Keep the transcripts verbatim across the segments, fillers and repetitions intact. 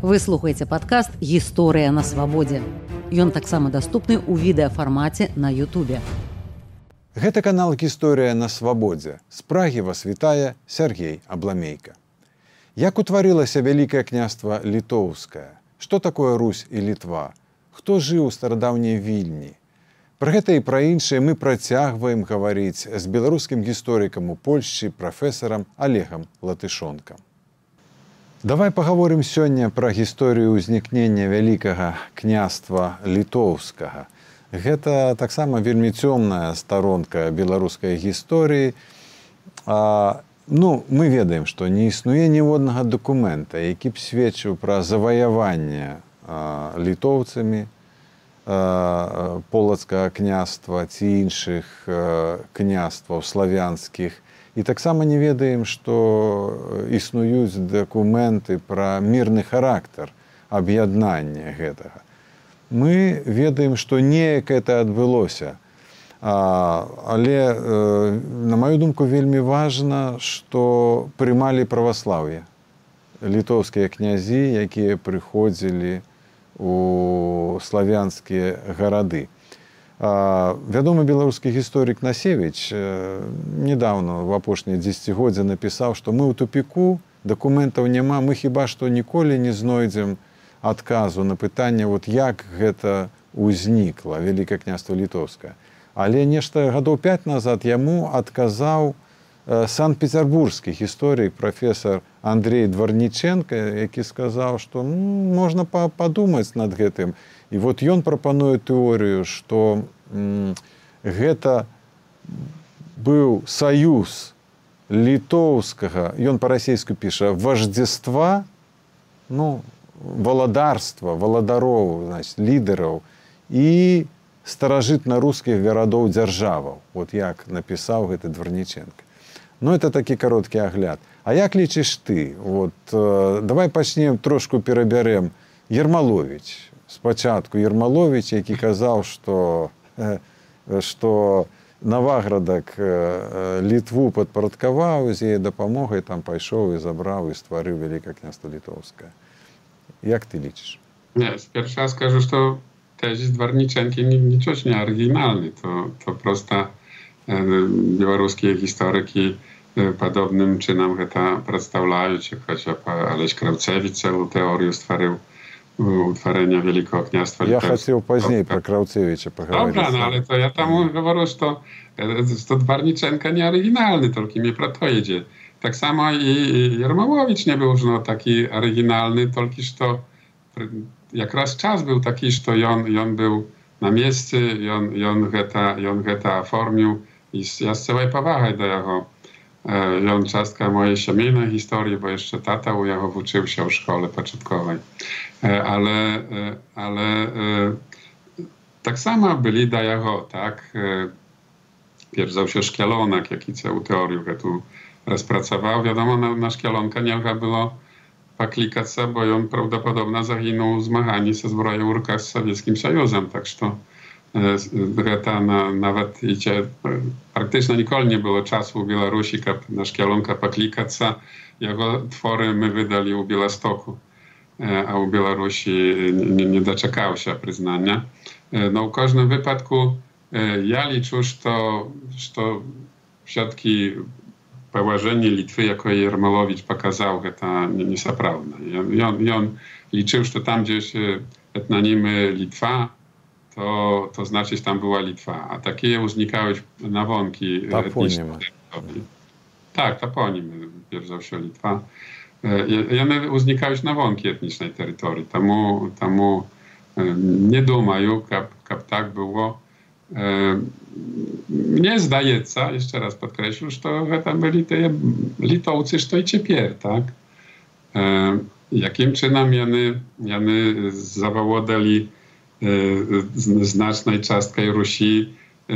Вы слухаеце падкаст «Гісторыя на свабодзе». Ён таксама даступны ў відэафармаце на Ютубе. Гэта канал «Гісторыя на свабодзе». З Прагі вас вітае Сергей Абламейка. Як утварылася Вялікае княства Літоўскае? Што такое Русь і Літва? Хто жыў у старадаўняй Вільні? Пра гэта і пра іншае мы працягваем гаварыць з беларускім гісторыкам у Польшчы прафесарам Олегам Латышонкам. Давай паговорым сёння пра гісторыю ўзнікнення Вялікага княства Літоўскага. Гэта таксама вельмі цёмная старонка беларускай гісторыі. А, ну, мы ведаем, што не існуе ніводнага дакумента, які б сведчыў пра заваяванне а, літоўцамі а, полацкага княства ці іншых а, княстваў славянскіх. І таксама не ведаем, што існуюць дакументы пра мірны характар аб'яднання гэтага. Мы ведаем, што неяк гэта адбылося. А, але, э, на маю думку, вельмі важна, што прымалі праваслаўе. Літоўскія князі, якія прыходзілі у славянскія гарады. А, вядомы беларускі гісторык Насевіч э, недавно, в апошняе дзесяцігоддзе, напісаў, што мы ў тупіку, дакументаў няма, мы хіба што ніколі не знойдзем адказу на пытанне, вот як гэта ўзнікла Вялікае княства Літоўскае. Але нешта гадоў пяць назад яму адказаў э, санкт-пецярбургскі гісторык прафесар Андрей Дварніченка, які сказаў, што ну, можна падумаць над гэтым. І вот ён прапануе тэорыю, што м, гэта быў саюз літоўскага, ён па-расейску піша, вождзества, ну, валадарства, валадароў, значит, лідараў і старажытна-рускіх гарадоў дзяржаваў. Вот як напісаў гэты Дварніченка. Ну, это такі кароткі агляд. А як лічыш ты? Вот, э, давай пачнем, трошку перабярем. Ермаловіч. Спачатку Ермаловіч, які казаў, што, што Наваградак Літву падпарадкаваў, з яе дапамогай там пайшоў і забраў і стварыў Вялікае княства Літоўскае. Як ты лічыш? Nie, pierwszy raz скажу, что тезис Дварниченки ничего не оригинальный. To, to просто белорусские историки подобным чином это представляют, хотя Олесь Кравцевич целую теорию створил утворения Великого княства. Я хотел позднее про Кравцевича поговорить. Dobra, no ale to ja tam говорю, что, что Дварниченко не оригинальный, только мне про то иdzie. Tak samo i Jermałowicz nie był no, taki oryginalny, tylko że jak raz czas był taki, że on, on był na miejscu, on, on, geta, on geta oformił i ja z całej powagi do jego. E, on czastka mojej siemiejnej historii, bo jeszcze tata u jego uczył się w szkole początkowej. E, ale e, ale e, tak samo byli do jego, tak? E, Pierzał się Szkielonek, jaki całą teorię tu rozpracował. Wiadomo, na, na Szkielonka nie było poklikać się, bo on prawdopodobnie zaginął w zmaganiu ze zbroją urka z Sowieckim Sojuzem. Tak że to na, nawet idzie, praktycznie nikogo nie było czasu u Białorusi na Szkielonka poklikać się. Jego twory my wydali u Białostoku, a u Białorusi nie, nie doczekał się przyznania. No w każdym wypadku ja liczę, że to, że to wszystkie położenie Litwy, jako Jermolowicz pokazał, że to nie jest prawda. I on, i on liczył, że tam gdzieś etnonimy Litwa, to, to znaczy, że tam była Litwa. A takie uznikały nawonki. Taponimy. Tak, taponimy, pierzał się Litwa. I one uznikały nawonki etnicznej terytorii. Tamu, tamu nie dumają, jak tak było. Mnie zdaje się, jeszcze raz podkreślę, że to tam byli te Litowcy, że to i ciepier, tak? E, jakim czynem jany, jany zawałodali e, znacznej czastkę Rusi. E,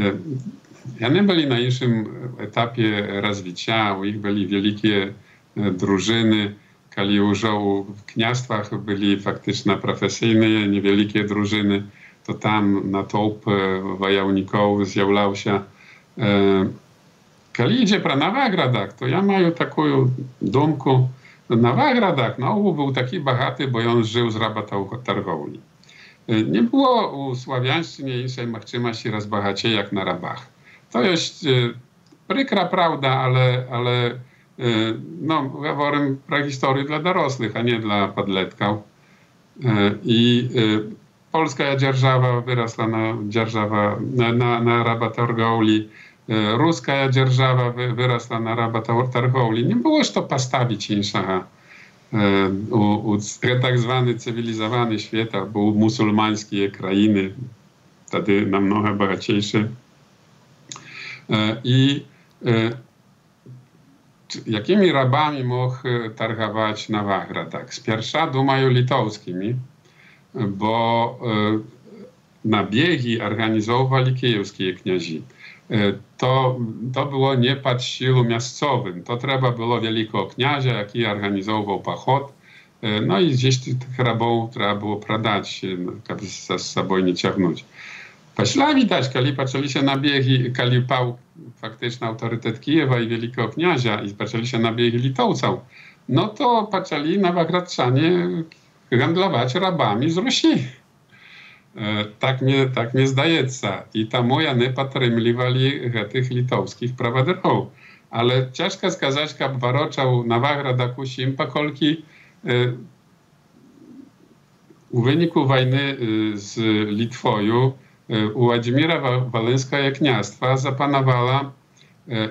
jany byli na innym etapie rozwicia, u nich byli wielkie e, drużyny, kali już w kniastwach byli faktycznie profesyjne, niewielkie drużyny. To tam natoup wojowników zjawlał się. Kiedy idzie pro Nawagradach, to ja mam taką dumkę, Nawagradach no, był taki bogaty, bo on żył z работорговли. Nie było u Sławiańszczynie innej możliwości rozbogacie jak na rabach. To jest przykra prawda, ale, ale no, mówię pro historię dla dorosłych, a nie dla podletków. I polska dzierżawa wyrosła na dzierżawa na, na, na работорговli. Ruska dzierżawa wyrosła na работорговli. Nie było już to postawić innego. U, u tak zwany cywilizowany świat, był muzułmańskie krainy, wtedy namnogo bogatejsze. I jakimi rabami mógł targować Nawagradach? Z pierwsza dumają litowskimi, bo nabiegi organizowali kijowskie kniazi. To, to było nie pod siłą miejscowym. To trzeba było wielkiego kniazia, jaki organizował pochód. No i gdzieś tych rabów trzeba było pradać, żeby z sobą nie ciągnąć. Pośla widać, kiedy zaczęli się nabiegi, kiedy pał faktycznie autorytet Kijewa i wielkiego kniazia i zaczęli się nabiegi Litowców, no to zaczęli Nawagradczanie handlować rabami z Rusi. Tak mnie, tak mnie zdaje. I tam oni podtrzymywali tych litowskich prawaderów. Ale ciężko skazać, jak waroczał Nawagrad Kusim, pokolki w wyniku wojny z Litwą u Władimira Wolyńskiego kniastwa zapanowała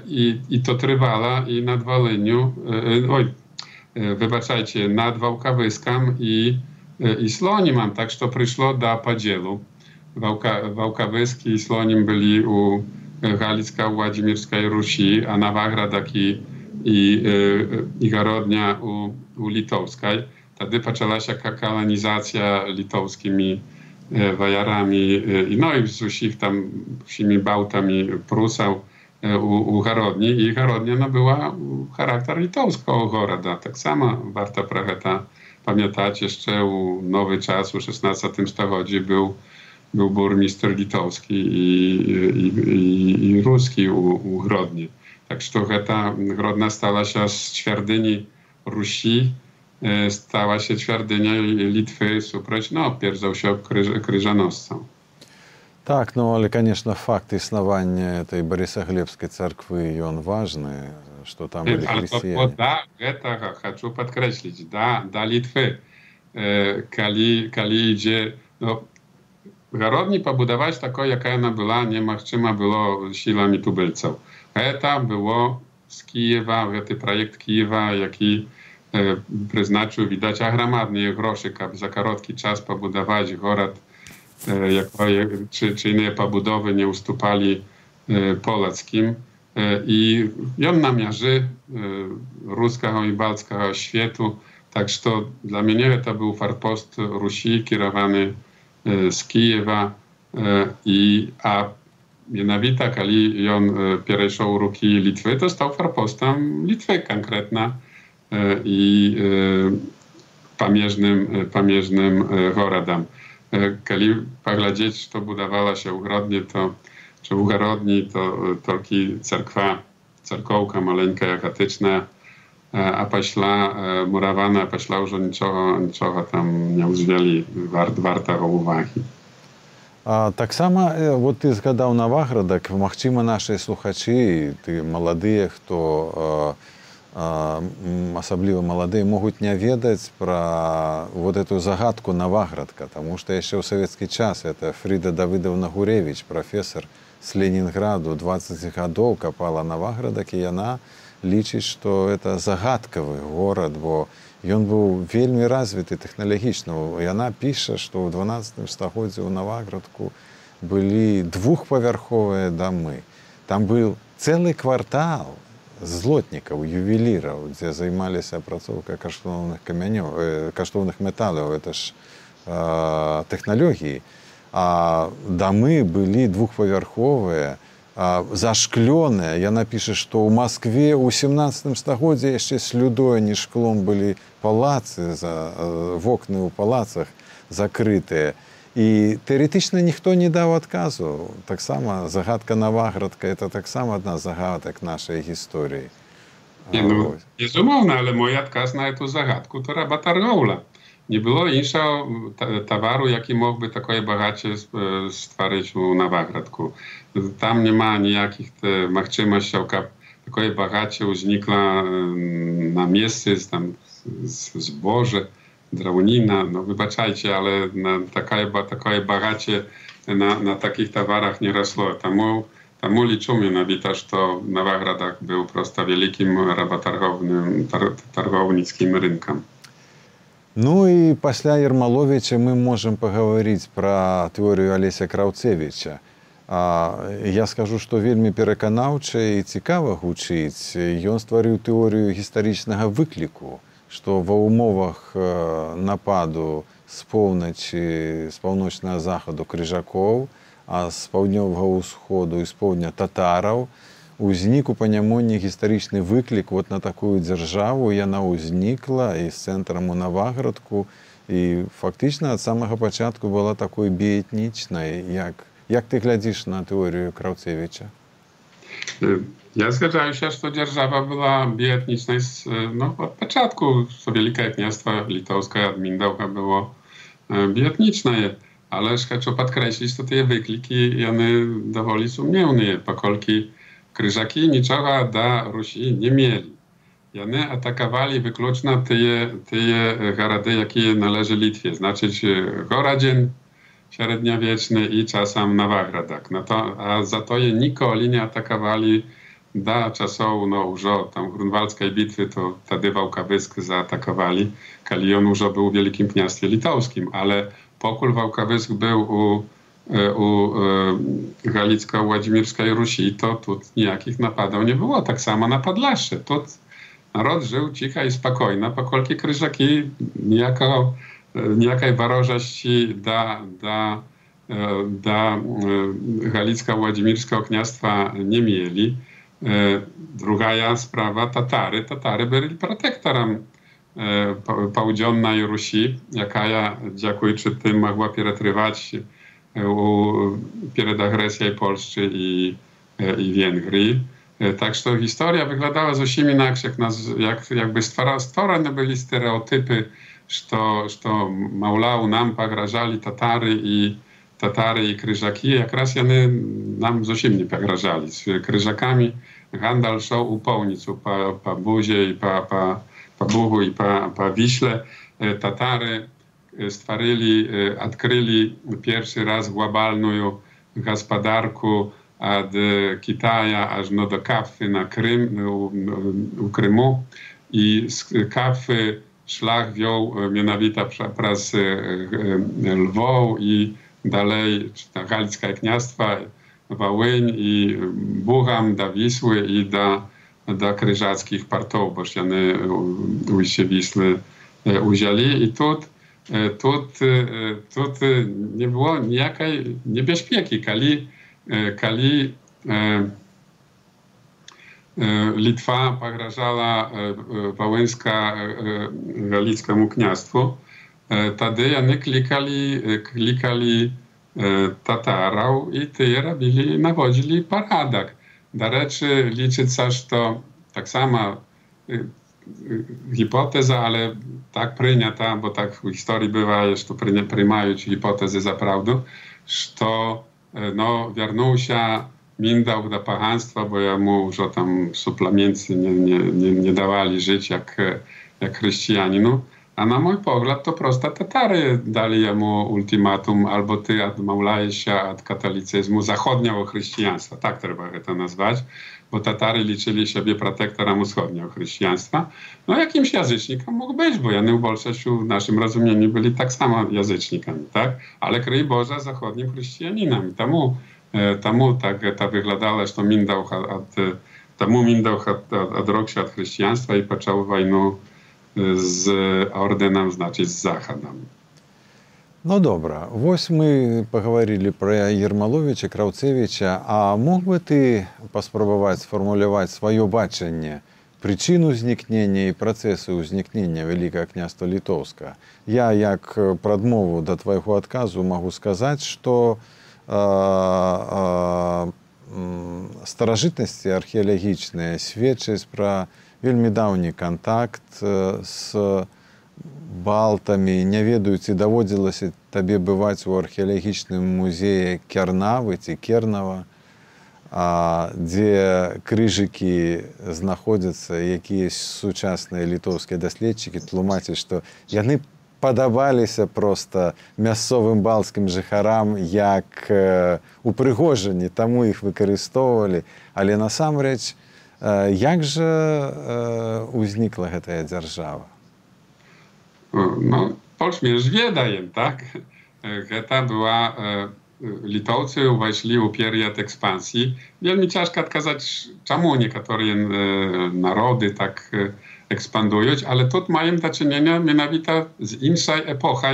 i, i to trwała i nad Wolyniu, oj, wybaczajcie, nad Wałkawyskiem i i Slonim, tak że przyszło do podzielu. Wałkawyski i Slonim byli u Galicko-Władzimirskiej Rusi, a Nawagradach i, i, i Garodnia u, u Litowskiej. Wtedy zaczęła się kolonizacja litowskimi wojarami, no i z usich tam wsimi bałtami Prusał u, u Garodni. I Garodnia no, była charakter litowskiego goroda. Tak samo warto pragata pamiętać, jeszcze u Nowy Czas, u szesnastym stuleciu był, był burmistrz litowski i, i, i, i ruski u, u Grodni. Tak że ta Grodna stała się z ćwierdyni Rusi, stała się ćwierdynią Litwy, suproć, no, pierdzał się kryżanoscą. Tak, no ale, конечно, факт istnienia tej Borysoglebskiej cerkwi, on ważny, że tam byli chrześcijanie. Ale to da, этого хочу podkreślić, da, da Litwy, kali, kali idzie, no, Garodni pobudować taką, jaka ona była, nie możliwe było siłami tubylców. To było z Kijewa, ten projekt Kijewa, jaki przeznaczył, widać, ogromne groszy, aby za krótki czas pobudować город, czy, czy inne pobudowy nie ustupali polskim. I on namierzy ruskiego i balckiego światu, tak że to dla mnie to był forpost Rusi kierowany z Kijewa, i, a mianowicie, kiedy on przeszedł ruki Litwy, to stał forpostem Litwy konkretna i pamiężnym, pamiężnym gorodem. Kiedy poglądać, to budowała się Ugrodnie, to czy u Garodni, to tylko cerkwa, cerkołka maleńka, jakatyczna, a pośla murawana, pośla już niczego, niczego tam nie użyli wart, wartego uwagi. А, так само, от ти згадав Наваградок, можливо, наші слухачі, ти молоді, хто особливо молоді, можуть не ведать про вот эту загадку Наваградка, потому что еще в советский час это Фрида Давыдовна Гуревич, профессор с Ленинграду, двадцать годов копала Наваградок, и она лічыць, что это загадкавы город, бо ён быў вельмі развіты тэхналагічна. Яна піша, што ў дванаццатым стагоддзі ў Наваградку былі двухпавярховыя дамы. Там быў цэлы квартал злотнікаў, ювеліраў, дзе займаліся апрацоўкай каштоўных камянёў, каштоўных металаў, это ж э, тэхналогіі. А дамы былі двухпавярховыя, зашклёныя. Яна піша, што ў Маскве ў сямнаццатым стагоддзі яшчэ слюдой, не шклом былі палацы, за, вокны ў палацах закрытыя. І тэарэтычна ніхто не даў адказу. Таксама загадка Наваградка — это таксама адна з загадак нашай гісторыі. Nie, no, безумоўна, але мой адказ на эту загадку то работорговля. Не было іншого товару, який мог би такої багаче створити у Новоградку. Там нема ніяких можливостей, щоб такої багаче узникла на місці, там збоже, древніна. Ну, вибачайте, але на такої, такої багаче на, на таких товарах не росло. Тому Тому liczę mianowicie, że Nowogrodzak był prosto wielkim работорговным, торговницким рынком. Ну и после Ермоловича мы можем поговорить про теорию Олеся Краўцевіча. Я скажу, что вельмі пераканаўча і цікава гучыць. Ён стварыў тэорію гістарычнага выкліку, што ва ўмовах нападу з поўначы, з паўночнага захаду крыжакоў, а з паўднёвага ўсходу і з поўдня татараў узнік у Панямонні гістарычны выклік вот на такую дзяржаву. Яна ўзнікла і з цэнтрам у Новоградку і фактычна ад самага пачатку была такой біэтнічнай. Як, як ты глядзіш на тэорію Краўцевіча? Ja zgadzam się, że dzierżawa była bietniczna. No, od początku to Wielkie Kniastwo Litowskie od Mindaucha było bietniczne. Ale chcę podkreślić, że te wykliki one dowoli sumienne, pokolki kryżaki niczego do Rusi nie mieli. One atakowali wyklucznie te, te garady, jakie należy Litwie, znaczy Goradzien średniowieczny i czasem Nowogrodzak. No to, a za to je nikoli nie atakowali do czasów, no już tam grunwaldzkiej bitwy, to wtedy Wałkawysk zaatakowali, kiedy on już był w Wielkim Kniastwie Litowskim, ale pokój Wałkawysk był u, u e, Galicko-Władzimirskiej Rusi, to tu nijakich napadów nie było. Tak samo na Podlasie. Tu naród żył cicho i spokojno, pokolki kryżaki niejako, nijakiej warożości do, do, do Galicko-Władzimirskiego Kniastwa nie mieli. Druga sprawa, Tatary. Tatary byli protektorem południowej Rusi, jaka dziękując tym mogła przetrywać przed agresją Polski i, i Węgrii. Tak, że historia wyglądała zupełnie inaczej, jak, jakby stworzone były stereotypy, że, że Maulał nam pograżali Tatary i Tatary i Kryżaki, jak raz one nam zupełnie nie pograżali. Z Kryżakami handel szał u Połnicu, po, po Buzie i po, po po Bugu i po, po Wiśle. Tatary stworzyli, odkryli pierwszy raz globalną gospodarkę od Kitaja aż no do Kafy na Krym, u, u Krymu. I z Kafy szlak wziął mianowicie przez Lwów i dalej Galickie Kniastwo, Wołyń i Bucham do Wisły i do do kryżackich partów, bo one ujście Wisły uzięli. I tu, tu, tu nie było nijakiej niebezpieki, kiedy, kiedy Litwa pograżała Wołyńsko-Galickiemu Kniastwu, wtedy oni klikali, klikali Tatarów i ty robili, nawodzili porządek. Do rzeczy liczyć się, że to tak sama y, y, hipoteza, ale tak przyjęta, bo tak w historii bywa, że to przyjmają hipotezy za prawdę, że no, wiernuł się Mindauch do państwa, bo jemu już tam suplementy nie, nie, nie, nie dawali żyć jak, jak chrześcijaninu. A na mój pogląd to prosto Tatary dali jemu ultimatum, albo ty odmawiałeś się od katolicyzmu zachodniego chrześcijaństwa, tak trzeba to nazwać, bo Tatary liczyli siebie protektorem wschodniego chrześcijaństwa. No jakimś języcznikiem mógł być, bo oni w Bolszewiu w naszym rozumieniu byli tak samo języcznikami, tak? Ale kryj Boże zachodnim chrześcijaninami. Temu, temu tak to wyglądało, że Mindauch od, temu Mindauch odrósł się od chrześcijaństwa i począł wojnę z орденом, значит, з Захадом. Ну, добра. Вось мы поговорили про Ермоловича, Краўцевіча. А мог бы ты паспрабаваць сфармуляваць сваё бачанне прычыну ўзнікнення і працэсу ўзнікнення Вялікага княства Літоўскага? Я, як прадмову да твайго адказу, магу сказаць, што э, э, старажытнасці археалагічныя сведчаць пра вельмі даўні кантакт з балтамі. Не ведаю, ці даводзілася табе бываць у археалагічным музеі Кернавы ці Кернава, дзе крыжыкі знаходзяцца, якія сучасныя літоўскія даследчыкі тлумачаць, што яны падабаліся проста мясцовым балцкім жыхарам як упрыгожанні, таму іх выкарыстоўвалі. Але насамрэч, як жа узнікла гэтая дзяржава? No, Polskie wiedajem, tak? Гэта była, Litowcy weszli u period ekspansji. Wielmi ciężko odkazać, czemu niektóre narody tak ekspandują, ale tu mają do czynienia mianowito z innej epoką,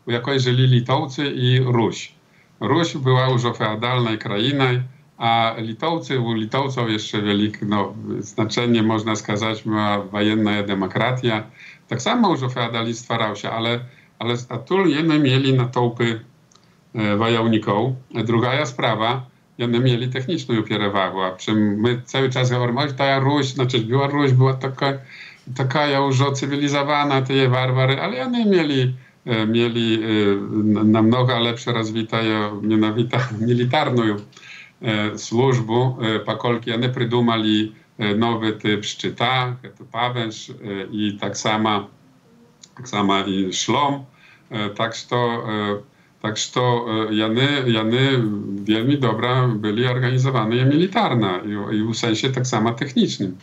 u jakiej żyli Litowcy i Ruś. Ruś była już feudalną krainą, a Litowcy, u Litowców jeszcze wielkie no, znaczenie, można сказать, miała wojenna demokracja. Tak samo już feudalizm stwarał się, ale, ale a tu jedne mieli natłupy e, wojowników. Druga sprawa, jedne mieli techniczną przewagę, a czym my cały czas mówimy, że ta Ruś, znaczy Białoruś była taka, taka już cywilizowana, te warwary, ale jedne mieli, e, mieli e, namnogo lepsze rozwitą, mianowito militarną e, służbę, e, pokolki one przydumali nowy typ szczyta, to pawęż i tak samo, tak samo i szlom. Tak to, tak to jany, jany wielmi dobra byli organizowane militarne i, i w sensie tak samo technicznym.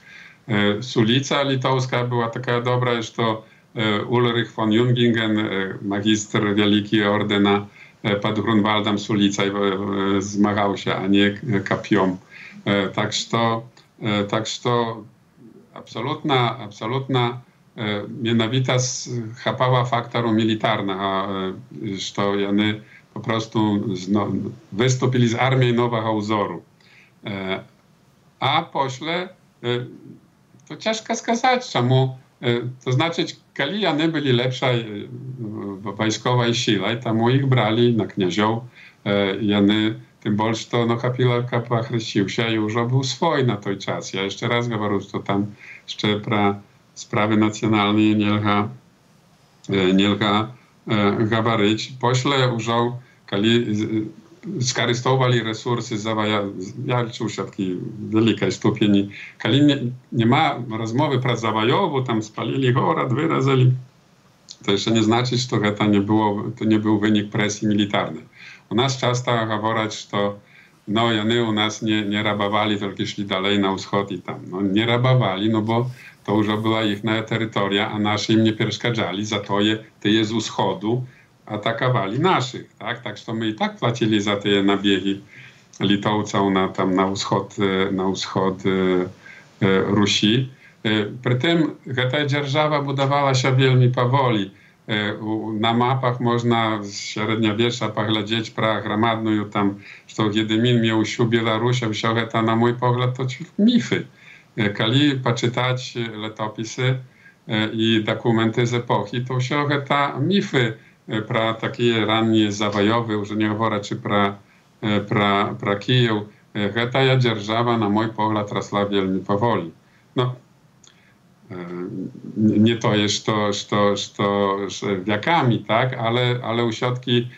Sulica litowska była taka dobra, że to Ulrich von Jungingen, magister wielki ordena pod Grunwaldem Sulica zmagał się, a nie kapiom. Tak to Tak to absolutna, absolutna mianowita chapała faktoru militarnego, że oni po prostu no, wystąpili z armii nowego wzoru. A pośle to ciężko сказать, czemu. To znaczy, kiedy oni byli lepsza wojskowa siła, to ich brali na kniaziów, oni tym bardziej to no, Kapilaka pochryścił się i już był swój na той czas. Ja jeszcze raz mówię, że tam jeszcze pra sprawy nacjonalne nielga, nielga gabaryć. Pośle już, kiedy skarystowali resursy zawaja, ja czuł się takiej wielkiej stopni, kiedy nie, nie ma rozmowy pra zawajowu, tam spalili gorod, wyrazili, to jeszcze nie znaczy, że to nie, było, to nie był wynik presji militarnej. U nas często mówić, że no, oni u nas nie, nie rabowali, tylko szli dalej na wschód i tam. No, nie rabowali, no bo to już była ich terytoria, a nasi im nie przeszkadzali, za to je, te je z wschodu atakowali naszych, tak? Tak, że my i tak płacili za te nabiegi Litowców na, tam na wschód, na wschód e, e, Rusi. E, przy tym ta dzierżawa budowała się wielmi powoli. Na mapach można z średniowiecza poglądać pra gromadną tam, że Wiedymin miał sił Białorusi, wszystko to na mój pogląd to mify. Kiedy poczytać letopisy i dokumenty z epoki, to wszystko to mify pra takie rannie zawojowe, już nie mówię, czy pra, pra, pra Kijów. Ta dzierżawa na mój pogląd rosła wielmi powoli. No, nie to jest to, to, to, to wiekami, tak, ale, ale u środki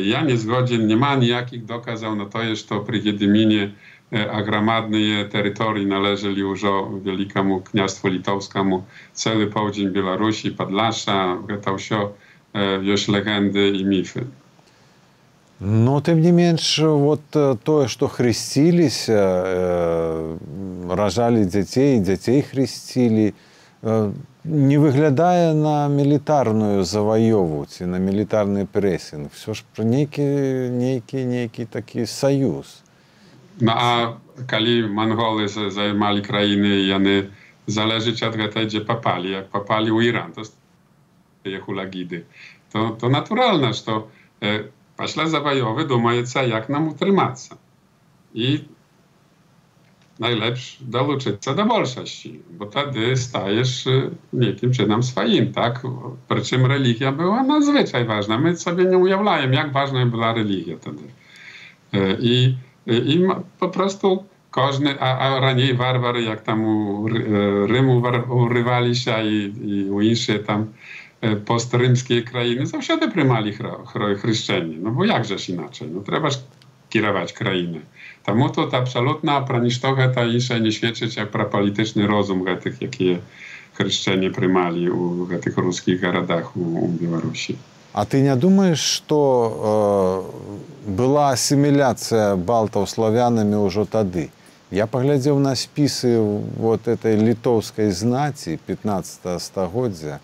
ja nie zgodzien, nie ma nijakich dokazał, no to jest to przy Wiedyminie, a gromadne terytorii należeli już wielkiemu kniastwu litowskiemu, cały południe Białorusi, Podlasza, to wszystko już legendy i mify. Но, тем не менш, вот то, что хрестились, рожали детей, детей хрестили, не выглядая на милитарную завоеву, на милитарный прессинг. Все ж про некий, некий, некий такий союз. No a kiedy Mongoły zajmowali krainy i one zależeć od tego, gdzie papali, jak papali u Iran, to je hulagidy, to, to naturalne, że to Пошла завоевы, думается, jak nam utrzymаться. I najlepsze долучиться do wolności, bo wtedy stajesz niekim czynem swoim, tak? Przy czym religia była nadzwyczaj ważna. My sobie nie ujawniamy, jak ważna była religia wtedy. I, i po prostu każdy, a, a raniej warwary, jak tam u Rymu urywali się i, i u innych tam postrymskie krainy, zawsze prymali chryszczeni. No bo jakżeż inaczej? No trzeba kierować krainy. Тому тут абсолютно про нічто гэта інше не свідчыць як пра палітычны розум гэтых, якія хрышчане прымалі ў гэтых рускіх гарадах у, у Беларусі. А ты не думаешь, что э, была ассимиляция балтаў славянамі ўжо тады? Я паглядзеў на спісы вот этой літоўскай знаці пятнадцатага стагоддзя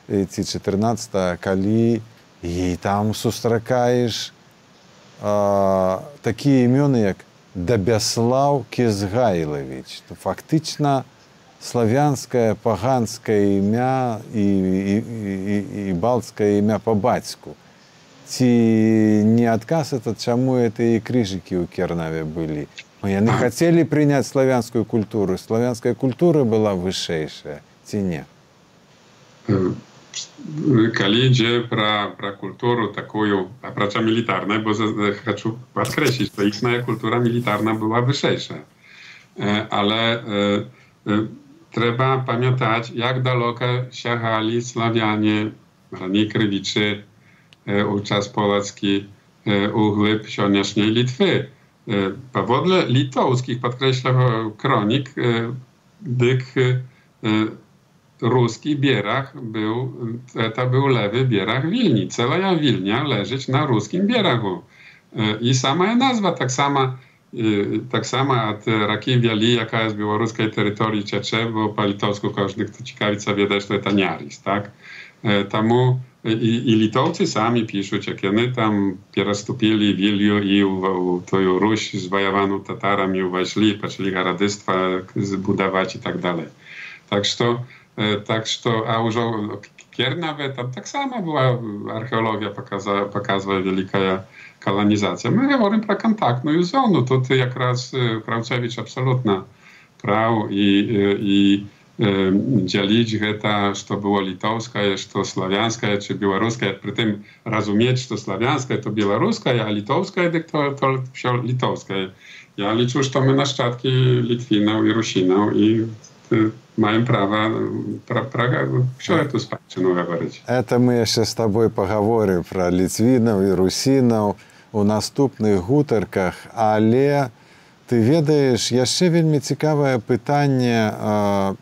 ці чатырнаццатага, калі і там сустракаеш э, такія імёны, як Дабяслаў Кезгайлавіч. Фактычна славянскае паганскае імя і, і, і, і балцкае імя па бацьку. Ці не адказ это, чаму это і крыжыкі ў Кернаве былі? Яны хацелі прыняць славянскую культуру. Славянская культура была вышэйшая, ці не? Калі ідзе пра, пра культуру такую, апрача мілітарнай, бо хочу падкрэсліць, што іхная культура мілітарна была вышэйшая. Але трэба памятаць, як далёка сягалі славяне, раней крывічы, у час полацкі, у глыб сённяшняй Літвы. Паводле літоўскіх, падкрэслям, кронік, дык ruski bierach był, to był lewy bierach Wilni. Cała Wilnia leżeć na ruskim bieragu. I sama nazwa tak sama, tak sama od Raki Wiali, jaka jest białoruskiej terytorii ciecze, bo po litowsku każdy, kto ciekawica wie, że to Niaris, tak? Tamu i, i Litowcy sami piszą, jak oni tam przystąpili Wiliu i u tę Ruś zwojowaną Tatarami uweszli, zaczęli garadystwa zbudować i tak dalej. Tak że Tak, что, а уже Кернаве, там так само была археология, показывала, показывала великая колонизация. Мы говорим про контактную зону. Тут как раз Краўцевич абсолютно прав. И, и, и делить это, что было литовское, что славянское, чи белорусское. При этом разуметь, что славянское то белорусское, а литовское то, то все литовское. Я лечу, что мы нащадки Литвинов и Русинов. И маем право про, про все эту спадщину говорить. Это мы еще с тобой поговорим про литвинов и русинов у наступных гутарках, але ты ведаешь, яшчэ вельмі цікавае пытанне э,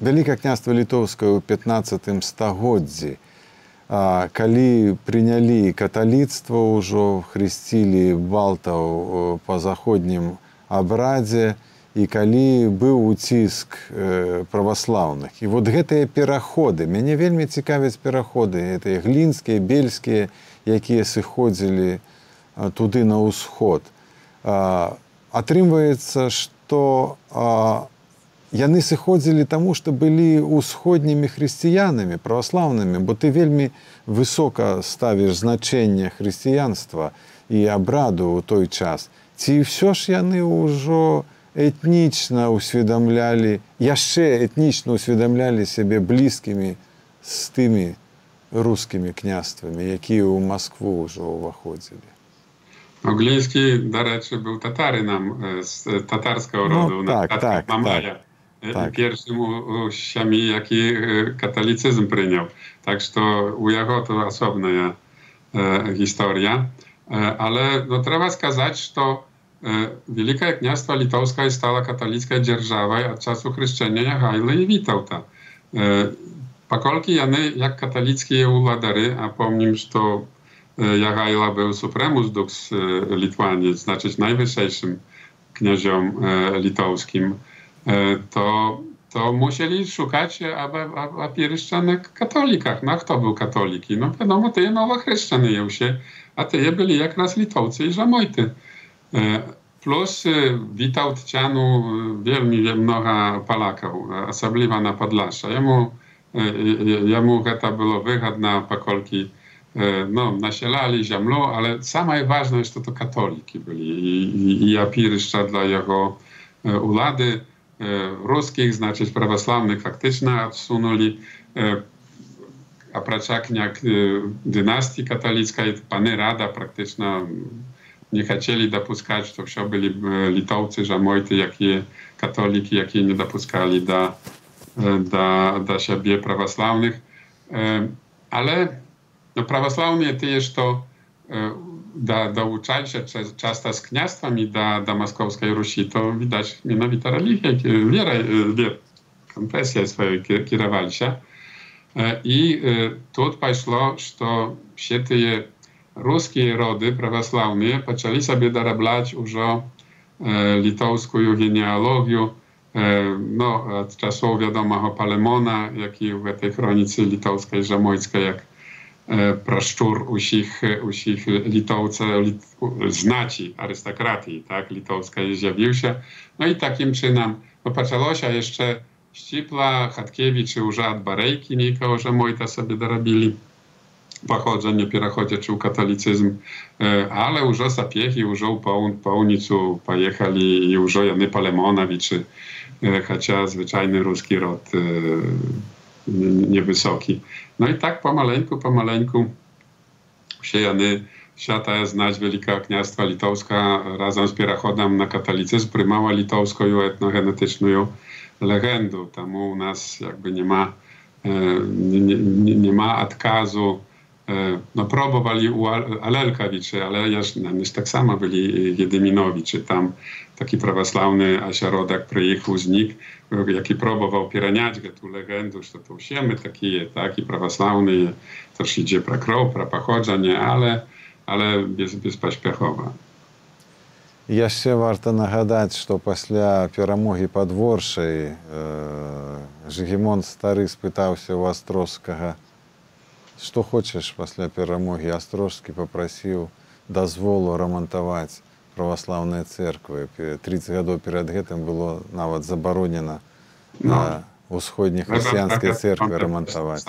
Вялікае княства Літоўскае ў пятнаццатым стагоддзі, э, калі прынялі каталіцтва ўжо, хрысцілі балтаў па заходнім абрадзе, і калі быў уціск э, праваслаўных. І вот гэтыя пераходы, мяне вельмі цікавяць пераходы, гэтыя глінскія, бельскія, якія сыходзілі а, туды на ўсход. А, атрымваецца, што а, яны сыходзілі таму, што былі ўсходнімі хрысціянамі, праваслаўнымі, бо ты вельмі высока ставіш значэнне хрысціянства і абраду ў той час. Ці ўсё ж яны ўжо этнічна усведамлялі, яшчэ этнічна усведамлялі сябе блізкімі з тымі рускімі княствамі, якія ў Маскву ўжо ўваходзілі. Глінскі, дарэчы, быў татарынам з татарскага роду, ну, так, так, Мамая. Так. Першым у сям'і, які каталіцызм прыняў. Так што у яго то асобная э, гісторыя. Э, але ну, трэба сказаць, што Wielkie Kniastwo Litowskie stała katolicką dzierżawą od czasu chrzczenia Jagajły i Witałta. Pokolki jany jak katolickie uładary, a pomnim, że Jagajla był supremus dux Litwanii, znaczy najwyższym kniaziom litowskim, to, to musieli szukać opieryszczanek katolikach. No kto był katoliki? No wiadomo, te nowochrzczone je się, a te byli jak raz Litowcy i Żamojty. Plus Witałtcianu wielmi mnoga Polaków, osobliwa na Podlasza. Jemu, jemu to było wygodne, pokolki no, nasielali ziemlą, ale sama ważność to to katoliki byli i, i opieryszcza dla jego ulady ruskich, znaczy prawosławnych faktycznie odsunęli. A praczakniak dynastii katolickiej, pany Rada praktycznie не хотели допускать, что все были литовцы, жамойты, якие католики, якие не допускали до, до, до siebie православных. Ale no, prawosławni to jest to da, douczali się często z kniastwami do, do Moskowskiej Rusi, to widać mianowita religia, wiera, konfesja swoją kierowali się. I tu poszło, że все te ruskie rody prawosławne zaczęli sobie dorabiać już litowską genealogię, no, od czasów wiadomego Palemona, jak i w tej chronicy litowskiej, żamojskiej, jak praszczur usich, usich litowca, lit, znaci arystokratii, tak, litowskiej zjawił się. No i takim czynem no, zaczęło się jeszcze Ścipla, Chatkiewicz, już od Barejki, nikogo żamojta sobie dorobili pochodzenie, переходе czy katolicyzm, ale już Sapiechy, już po ulicu pojechali i już Jany Palemonowiczy, chociaż zwyczajny ruski rod niewysoki. No i tak pomaleńku, pomaleńku się Jany, świata znać Wielkiego Kniastwa Litowska razem z переходem na katolicyzm prymała litowską etnogenetyczną legendę. Tam u nas jakby nie ma, nie, nie, nie ma odkazu. No próbowali u Alelkawiczy, ale już tak samo byli Jedyminowiczy. Tam taki prawosławny ośrodek przyjechał z nich, jaki próbował piraniać tę legendę, że to usiemy takie, taki prawosławny, też idzie pro krov, pro pochodzenie, ale, ale bez, bezpośpiechowo. Яшчэ варта нагадаць, што пасля перамогі пад Воршай Жыгімонт стары спытаўся ў Астрожскага, што хочаш пасля перамогі. Астрожскі папрасіў дазволу рамантаваць праваслаўныя цэрквы. тридцать гадоў перад гэтым было нават забаронена на ўсходніх хрысціянскай цэрквы рамантаваць.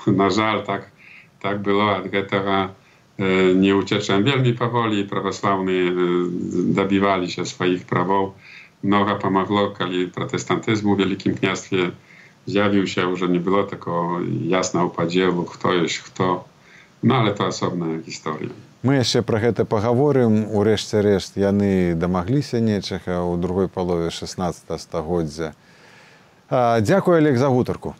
На жаль, так, так было ад гэтага. Nie ucieczem wielmi powoli, prawosławni dobywali się swoich praw. Mnogo pomogło, kiedy protestantyzmu w Wielkim Kniastwie zjawił się, że nie było tylko jasnego podziału, kto jest kto. No ale to osobna historia. My jeszcze про гэта поговорим. Урэшце рэшт, яны дамагліся нечага ў другой палове шестнадцатага стагоддзя. Дзякую, Олег, за гутарку.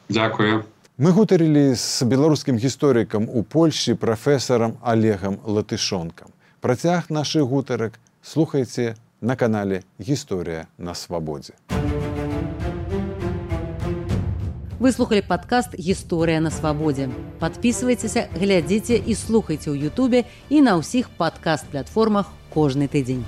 Дзякую. Мы гутарылі з беларускім гісторыкам у Польшчы прафесарам Олегам Латышонкам. Працяг нашых гутарак слухайце на канале «Гісторыя на свабодзе». Вы слухали падкаст «Гісторыя на свабодзе». Падпісвайцеся, глядзіце і слухайце ў Ютубе і на ўсіх падкаст-платформах кожны тыдзень.